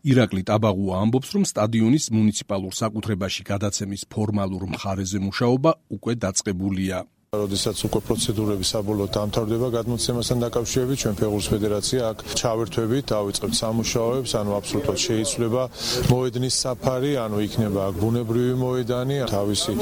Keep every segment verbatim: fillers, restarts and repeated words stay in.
ირაკლი ტაბაღუა ამბობს, რომ სტადიონის მუნიციპალურ საკუთრებაში გადაცემის ფორმალურ მხარეზე მუშაობა უკვე დაწყებულია. როდესაც უკვე პროცედურები საბოლოოდ დამთავრდება გადმოცემასთან დაკავშირებით, ჩვენ ფეხბურთის ფედერაცია აქ ჩავერთვებით, დავიწყებთ სამუშაოებს, ანუ აბსოლუტურად შეიცვლება მოედნის საფარი, ანუ იქნება აქ ბუნებრივი მოედანი, თავისი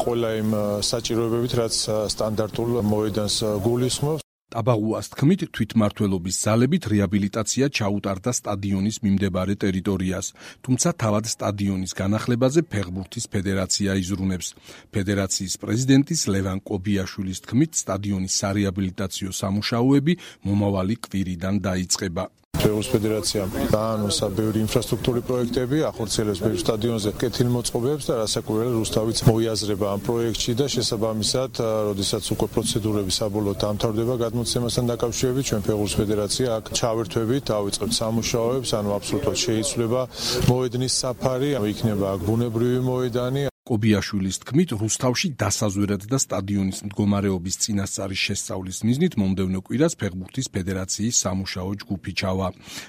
ყველა იმ საჭიროებებით, რაც სტანდარტულ მოედანს გულისხმობს. ტაბაღუას თქმით, თვითმმართველობის ძალებით რეაბილიტაცია ჩაუტარდა სტადიონის მიმდებარე ტერიტორიას, თუმცა თავად სტადიონის განახლებაზე ფეხბურთის ფედერაცია იზრუნებს. ფედერაციის პრეზიდენტის ლევან კობიაშვილის თქმით, სტადიონის სარეაბილიტაციო სამუშაოები მომავალი კვირიდან დაიწყება. ფეხბურთის ფედერაციამ დაანონსა ბევრი ინფრასტრუქტურული პროექტები, ახორციელებს ბევრ სტადიონზე კეთილმოწყობებს და რასაკვირველია რუსთავიც მოიაზრება ამ პროექტში და შესაბამისად, როდესაც უკვე პროცედურები საბოლოოდ დამთავრდება გადმოცემასთან დაკავშირებით, ჩვენ ფეხბურთის ფედერაცია აქ ჩავერთვებით, დავიწყებთ სამუშაოებს, ანუ აბსოლუტურად შეიცვლება მოედნის საფარი, იქნება აქ ბუნებრივი მოედანი. კობიაშვილის თქმით, რუსთავში დასაზვერად და სტადიონის მდგომარეობის წინასწარის შესწავლის მიზნით მომდევნო კვირას ფეხბურთის ფედერაციის სამუშაო ჯგუფი ჩავა.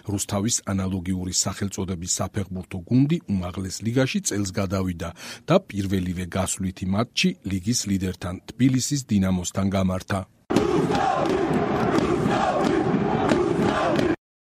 რუსთავის ანალოგიური სახელწოდების საფეხბურთო გუნდი უმაღლეს ლიგაში წელს გადავიდა და პირველივე გასვლითი მატჩი ლიგის ლიდერთან თბილისის დინამოსთან გამართა.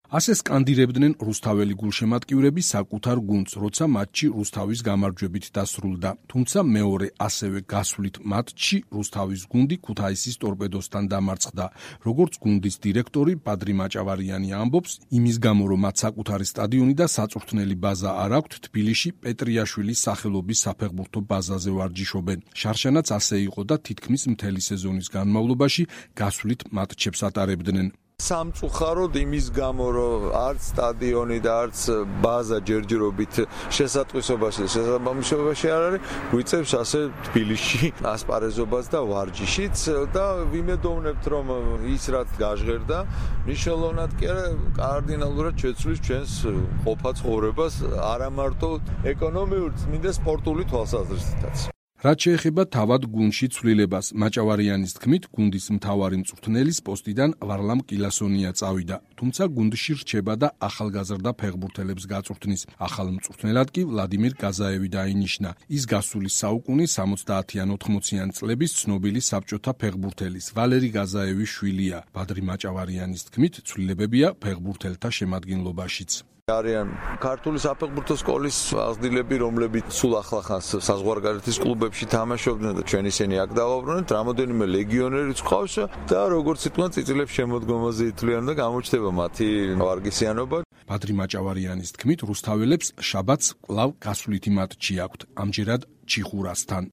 ასე სკანდირებდნენ რუსთაველი გულშემატკივრები საკუთარ გუნდს, როცა მატჩი რუსთავის გამარჯვებით დასრულდა. თუმცა მეორე ასევე გასვლით მატჩში რუსთავის გუნდი ქუთაისის ტორპედოსთან დამარცხდა. როგორც გუნდის დირექტორი პადრი მაჭავარიანი ამბობს, იმის გამო რომ მათ საკუთარი სტადიონი და საწვრთნელი ბაზა არ აქვთ, თბილისში პეტრიაშვილის სახელობის საფეხბურთო ბაზაზე ვარჯიშობენ. შარშანაც ასე იყო და თითქმის მთელი სეზონის განმავლობაში გასვლით მატჩებს ატარებდნენ. სამწუხაროდ იმის გამო, რომ არც სტადიონი და არც ბაზა ჯერჯერობით შესატყვისობაში და შესაბამისობაში არ არის, გვიწევს ასე თბილისში ასპარეზობას და ვარჯიშიც და ვიმედოვნებთ, რომ ის რაც გაჟღერდა, მნიშვნელოვნად კი არა, კარდინალურად შეცვლის ჩვენს ყოფა ცხოვრებას, არა მარტო ეკონომიურ, წმინდა სპორტული თვალსაზრისითაც. რაც შეეხება თავად გუნდში ცვლილებას, მაჭავარიანის თქმით, გუნდის მთავარი მწვრთნელის პოსტიდან ვარლამ კილასონია წავიდა, თუმცა გუნდში რჩება და ახალგაზრდა ფეხბურთელებს გაწვრთნის. ახალ მწვრთნელად კი ვლადიმირ გაზაევი დაინიშნა. ის გასული საუკუნის სამოცდაათი ან ოთხმოციანი წლების ცნობილი საბჭოთა ფეხბურთელის ვალერი გაზაევის შვილია. ბადრი მაჭავარიანის თქმით, ცვლილებებია ფეხბურთელთა შემადგენლობაშიც. არიან ქართული საფეხბურთო სკოლის აღზრდილები, რომლებიც სულ ახლახანს საზღვარგარეთის კლუბებში თამაშობდნენ და ჩვენ ისინი აქ დავაბრუნეთ, რამოდენიმე ლეგიონერიც ყავს და როგორც იტყვიან, წიწილებს შემოდგომაზე ითვლიან და გამოჩნდება მათი ვარგისიანობა. ბადრი მაჭავარიანის თქმით, რუსთაველებს შაბათს კვლავ გასვლითი მატჩი აქვთ, ამჯერად ჩიხურასთან.